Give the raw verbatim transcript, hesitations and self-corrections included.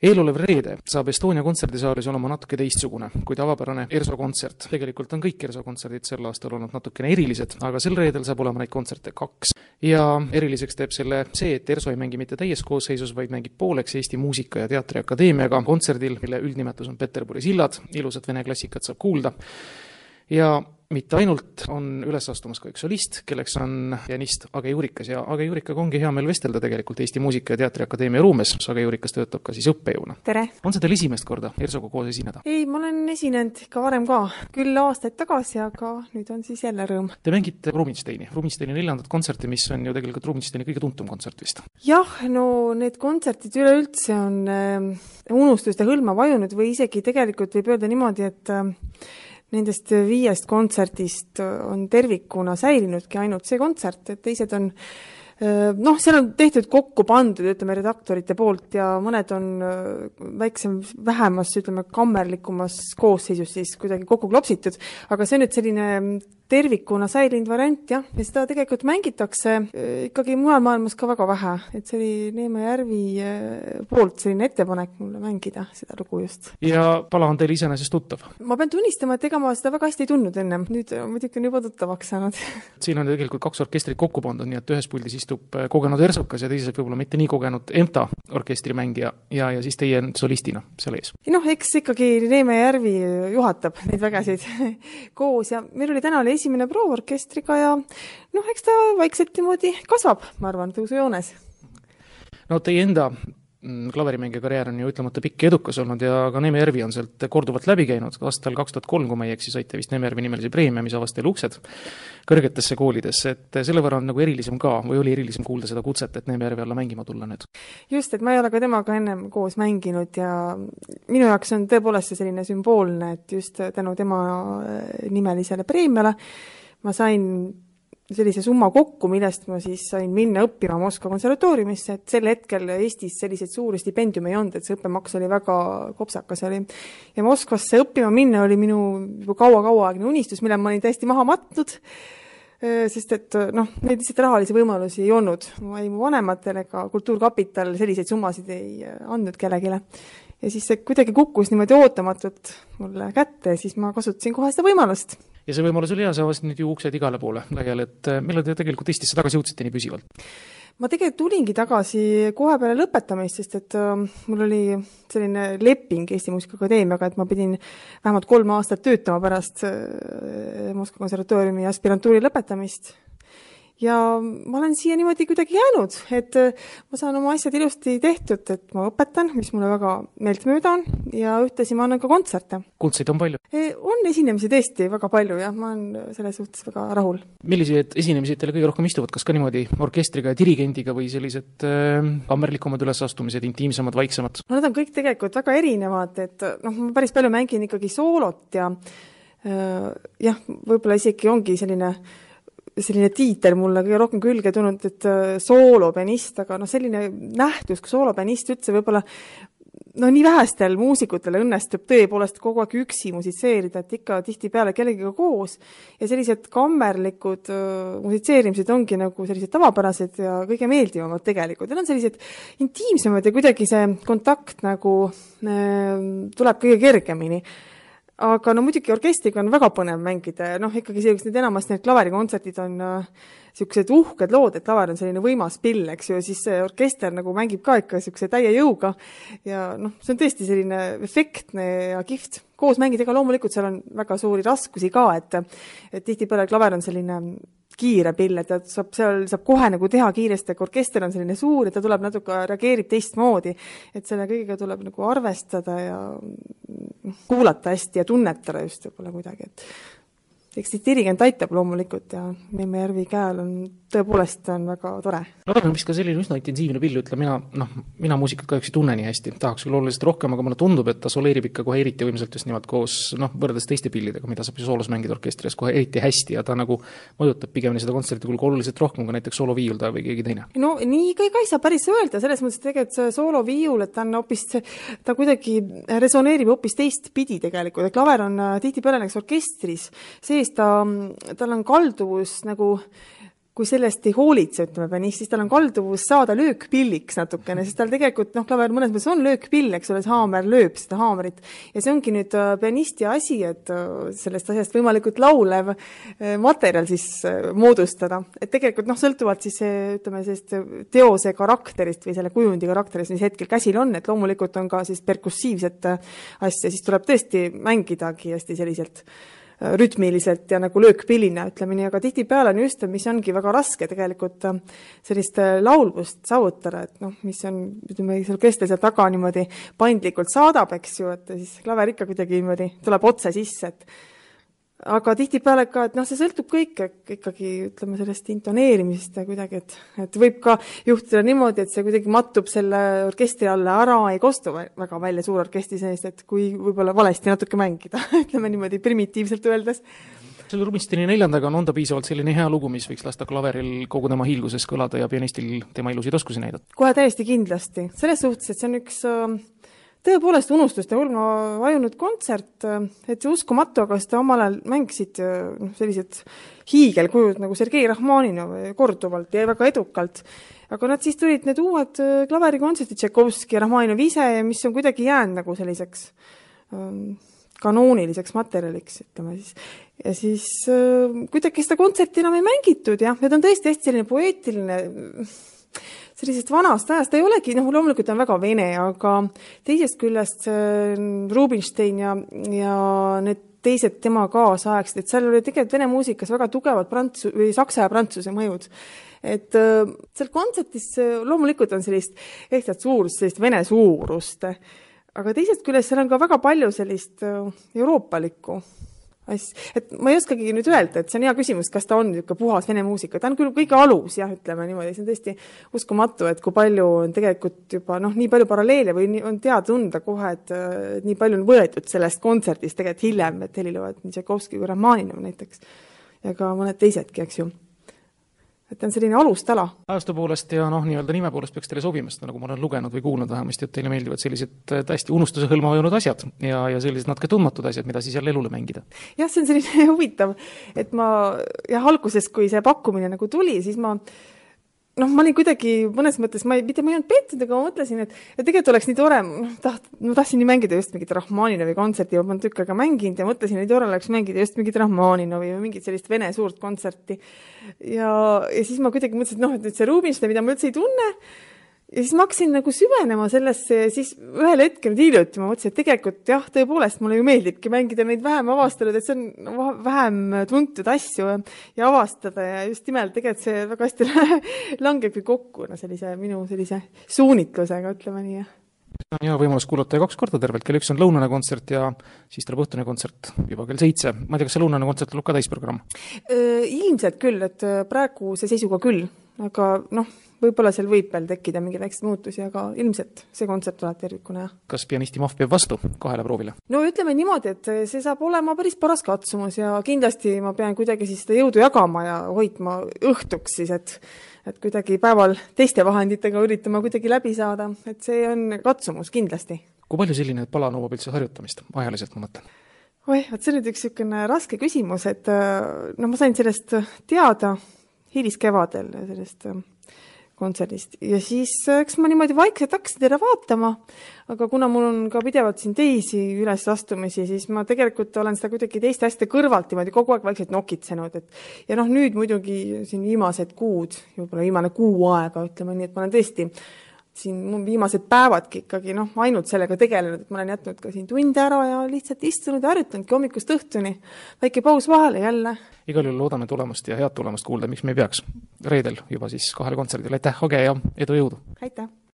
Eelolev reede saab Estonia kontserdisaalis olema natuke teistsugune, kui tavapärane ERSO kontsert. Tegelikult on kõik ERSO kontserdid sel aastal olnud natukene erilised, aga sel reedel saab olema neid kontserte kaks. Ja eriliseks teeb selle see, et ERSO ei mängi mitte täies koosseisus, vaid mängib pooleks Eesti Muusika- ja Teatriakadeemiaga kontserdil, mille üldnimetus on Peterburi sillad, ilusat vene klassikat saab kuulda. Ja mitte ainult on üles astumas ka üks solist, kelleks on pianist Age Juurikas ja Age Juurikaga ongi hea meil vestelda tegelikult Eesti Muusika- ja Teatriakadeemia ruumes. Age Juurikas töötab ka siis õppejõuna. Tere! On see teil esimest korda ERSOga koos esineda? Ei, ma olen esinenud ikka varem ka. Küll aastaid tagasi, aga nüüd on siis jälle rõõm. Te mängite Rubinsteini. Rubinsteini neljandat kontserti, mis on ju tegelikult Rubinsteini kõige tuntum kontsert vist. Jah, no need kontsertid üleüldse on äh, unustuste hõlma vajunud või isegi tegelikult võib öelda niimoodi, et äh, nendest viiest kontserdist on tervikuna säilinudki ainult see kontsert, et teised on, noh, seal on tehtud kokku pandud, ütleme, redaktorite poolt ja mõned on väiksem, vähemas, ütleme, kammerlikumas koosseisus siis kuidagi kokku klopsitud, aga see on nüüd selline tervikuna säilinud variant, jah, ja seda tegelikult mängitakse ikkagi mujal maailmas ka väga vähe, et see oli Neeme Järvi poolt selline ettepanek mulle mängida seda lugu just. Ja pala on teil iseenesest tuttav? Ma pean tunnistama, et ega ma seda väga hästi ei tundnud ennem, nüüd muidugi on juba tuttavaks saanud. Siin on tegelikult kaks orkestrit kokku pandud, nii et ühes puldis istub kogenud ERSOkas ja teises võib-olla mitte nii kogenud EMTA orkestrimängija ja, ja siis teie solistina seal ees. Noh, eks ikkagi Neeme Järvi juhatab neid vägesid koos ja meil oli täna oli esimene proov orkestriga ja noh, eks ta vaikselt niimoodi kasvab, ma arvan, tõusujoones. No teie enda klaverimängija karjäär on ju ütlemata pikk ja edukas olnud ja ka Neeme Järvi on sealt korduvalt läbi käinud. Aastal kaks tuhat kolm, kui ma ei eksi, saite vist Neeme Järvi nimelise preemia, mis avas teil uksed kõrgetesse koolidesse, et selle võrra on nagu erilisem ka või oli erilisem kuulda seda kutset, et Neeme Järvi alla mängima tulla nüüd? Just, et ma ei ole ka temaga ennem koos mänginud ja minu jaoks on tõepoolest see selline sümboolne, et just tänu tema nimelisele preemiale ma sain sellise summa kokku, millest ma siis sain minna õppima Moskva konservatooriumisse, et sel hetkel Eestis selliseid suuri stipendiumi ei olnud, et see õppemaks oli väga kopsakas oli. Ja Moskvasse õppima minna oli minu kaua-kauaaegne unistus, mille ma olin täiesti maha matnud, sest et noh, neid lihtsalt rahalisi võimalusi ei olnud. Ma ei mu vanematel ega Kultuurkapital selliseid summasid ei andnud kellegile. Ja siis see kuidagi kukkus niimoodi ootamatult mulle kätte ja siis ma kasutasin kohe seda võimalust. Ja see võimalus oli hea, sa avasid nüüd ju uksed igale poole laiali, et millal te tegelikult Eestisse tagasi jõudsite nii püsivalt? Ma tegelikult tulingi tagasi kohe peale lõpetamist, sest et uh, mul oli selline leping Eesti Muusikaakadeemiaga, et ma pidin vähemalt kolm aastat töötama pärast uh, Moskva konservatooriumi aspirantuuri lõpetamist. Ja ma olen siia niimoodi kuidagi jäänud, et ma saan oma asjad ilusti tehtud, et ma õpetan, mis mulle väga meeltmööda on ja ühtlasi ma annan ka kontserte. Kuldseid on palju? E, on esinemisi tõesti väga palju ja ma olen selles suhtes väga rahul. Millised esinemised teile kõige rohkem istuvad? Kas ka niimoodi orkestriga ja dirigendiga või sellised äh, kammerlikumad ülesastumised, intiimsemad, vaiksemad? No, nad on kõik tegelikult väga erinevad, et noh, ma päris palju mängin ikkagi soolot ja äh, jah, võib-olla isegi ongi selline selline tiitel mulle kõige rohkem külge tulnud, et soolopianist, aga no selline nähtus, kui soolopianist üldse võib-olla no nii vähestel muusikutele õnnestub tõepoolest kogu aeg üksi musitseerida, et ikka tihti peale kellegiga koos ja sellised kammerlikud uh, musitseerimised ongi nagu sellised tavapärased ja kõige meeldivamad tegelikult. Need on sellised intiimsemad ja kuidagi see kontakt nagu uh, tuleb kõige kergemini. Aga no muidugi orkestriga on väga põnev mängida ja noh, ikkagi sellised need enamasti need klaverikontserdid on äh, sellised uhked lood, et klaver on selline võimas pill, eks ju, ja siis see orkester nagu mängib ka ikka selline täie jõuga ja noh, see on tõesti selline efektne ja kihvt. Koos mängida, ega loomulikult seal on väga suuri raskusi ka, et, et tihti peale klaver on selline kiire pill, et ta saab, seal saab kohe nagu teha kiiresti, aga orkester on selline suur ja ta tuleb natuke, reageerib teistmoodi, et selle kõigega tuleb nagu arvestada ja kuulata hästi ja tunnetada just võib-olla kuidagi, et eks dirigent aitab loomulikult ja Neeme Järvi käel on tõepoolest on väga tore. Klaver on vist ka selline üsna intensiivne pill, ütle mina, noh, mina muusikat kahjuks ei tunne nii hästi, tahaks küll oluliselt rohkem, aga mulle tundub, et ta soleerib ikka kohe eriti võimsalt just nimelt koos, noh, võrreldes teiste pillidega, mida saab ju soolos mängida orkestris kohe eriti hästi ja ta nagu mõjutab pigemini seda kontserti kulgu oluliselt rohkem kui näiteks sooloviiulda või keegi teine. No nii ka ei saa päris öelda, selles mõttes, et tegelikult see sooloviiul, et ta on hoopis, ta kuidagi resoneerib hoopis teist pidi tegelikult, et klaver on tihti peale näiteks orkestris, sees ta, tal on kalduvus nagu kui sellest ei hoolitse, ütleme pianist, siis tal on kalduvus saada löökpilliks natukene, sest tal tegelikult, noh, klaver mõnes mõttes on löökpill, eks ole, see haamer lööb seda haamerit. Ja see ongi nüüd pianisti asi, et sellest asjast võimalikult laulev materjal siis moodustada. Et tegelikult, noh, sõltuvalt siis, ütleme, sellist teose karakterist või selle kujundi karakterist, mis hetkel käsil on, et loomulikult on ka siis perkussiivset asja, siis tuleb tõesti mängidagi hästi selliselt rütmiliselt ja nagu löökpillina, ütleme nii, aga tihtipeale on just, mis ongi väga raske tegelikult sellist laulvust saavutada, et noh, mis on, ütleme, seal kestel seal taga niimoodi paindlikult saadab, eks ju, et siis klaver ikka kuidagi niimoodi tuleb otse sisse, et aga tihtipeale ka, et noh, see sõltub kõik ikkagi, ütleme, sellest intoneerimisest ja kuidagi, et, et võib ka juhtuda niimoodi, et see kuidagi mattub selle orkestri alla ära, ei kostu väga välja suur orkestri seest, et kui võib-olla valesti natuke mängida, ütleme niimoodi primitiivselt öeldes. Selle Rubinsteini neljandaga on, on ta piisavalt selline hea lugu, mis võiks lasta klaveril kogu tema hiilguses kõlada ja pianistil tema ilusid oskusi näidata? Kohe täiesti kindlasti. Selles suhtes, et see on üks tõepoolest unustuste hulma vajunud kontsert, et see uskumatu, aga seda omal ajal mängisid no, sellised hiigelkujud nagu Sergei Rahmaninov korduvalt ja väga edukalt. Aga nad siis tulid need uued klaverikontserdid, Tšaikovski ja Rahmaninov ise, mis on kuidagi jäänud nagu selliseks ähm, kanooniliseks materjaliks, ütleme siis. Ja siis äh, kuidagi seda kontserti enam ei mängitud, jah, need on tõesti hästi selline poeetiline sellisest vanast ajast, ta ei olegi, noh, loomulikult on väga vene, aga teisest küljest Rubinstein ja, ja need teised tema kaasaegsid, et seal oli tegelikult vene muusikas väga tugevad prantsu, või saksa ja prantsuse mõjud. Et seal kontsertis loomulikult on sellist ehtsat suurust, sellist vene suurust, aga teisest küljest seal on ka väga palju sellist euroopalikku asja. Et ma ei oskagi nüüd öelda, et see on hea küsimus, kas ta on niisugune puhas vene muusika. Ta on küll kõige alus, jah, ütleme niimoodi. See on tõesti uskumatu, et kui palju on tegelikult juba, noh, nii palju paralleele või on teada tunda kohe, et nii palju on võetud sellest kontserdist tegelikult hiljem, et helilovad nii Tšaikovski kui Rahmaninov näiteks ja ka mõned teisedki, eks ju. Et on selline alustala. Ajastu poolest ja noh, nii-öelda nime poolest peaks teile sobimast, nagu ma olen lugenud või kuulnud vähemasti, et teile meeldivad sellised täiesti unustuse hõlma vajunud asjad ja, ja sellised natuke tundmatud asjad, mida siis jälle elule mängida. Jah, see on selline huvitav, et ma jah, alguses, kui see pakkumine nagu tuli, siis ma noh, ma olin kuidagi mõnes mõttes, ma ei, mitte ma ei olnud pettud, aga ma mõtlesin, et, et tegelikult oleks nii tore, taht, ma tahtsin nii mängida just mingit Rahmaninovi kontserti, ma olen tükk aega mänginud ja mõtlesin, et tore oleks mängida just mingit Rahmaninovi või mingit sellist vene suurt kontserti. Ja, ja siis ma kuidagi mõtlesin, et noh, et nüüd see Rubinstein, mida ma üldse ei tunne, ja siis ma hakkasin nagu süvenema sellesse ja siis ühel hetkel hiljuti ma mõtlesin, et tegelikult jah, tõepoolest mulle ju meeldibki mängida neid vähem avastanud, et see on vähem tuntud asju ja avastada ja just nimelt tegelikult see väga hästi langebki kokku no sellise minu sellise suunitlusega, ütleme nii. See on hea võimalus kuulata ja kaks korda tervelt, kell üks on lõunane kontsert ja siis tuleb õhtune kontsert juba kell seitse. Ma ei tea, kas see lõunane kontsert tuleb ka täisprogramm? Ilmselt küll, et praegu see seisuga küll, aga noh, võib-olla seal võib veel tekkida mingi väikseid muutusi, aga ilmselt see kontsert tuleb tervikuna. Kas pianisti mahv peab vastu kahele proovile? No ütleme niimoodi, et see saab olema päris paras katsumus ja kindlasti ma pean kuidagi siis seda jõudu jagama ja hoidma õhtuks siis, et, et kuidagi päeval teiste vahenditega üritama kuidagi läbi saada, et see on katsumus kindlasti. Kui palju selline pala nõuab üldse harjutamist? Ajaliselt ma mõtlen. Oi, et see on nüüd üks niisugune raske küsimus, et no ma sain sellest teada hiliskevadel sellest kontserdist. Ja siis, eks ma niimoodi vaikselt hakkasin teda vaatama, aga kuna mul on ka pidevalt siin teisi üles astumisi, siis ma tegelikult olen seda kuidagi teiste asjade kõrvalt niimoodi kogu aeg vaikselt nokitsenud. Et, ja noh, nüüd muidugi siin viimased kuud, juba viimane kuu aega, ütleme nii, et ma olen tõesti siin viimased päevadki ikkagi noh, ainult sellega tegelenud, et ma olen jätnud ka siin tunde ära ja lihtsalt istunud ja harjutanudki hommikust õhtuni. Väike paus vahele jälle. Igal juhul loodame tulemust ja head tulemust kuulda, miks me ei peaks. Reedel juba siis kahele kontserdile. Aitäh, Age ja edu jõudu! Aitäh!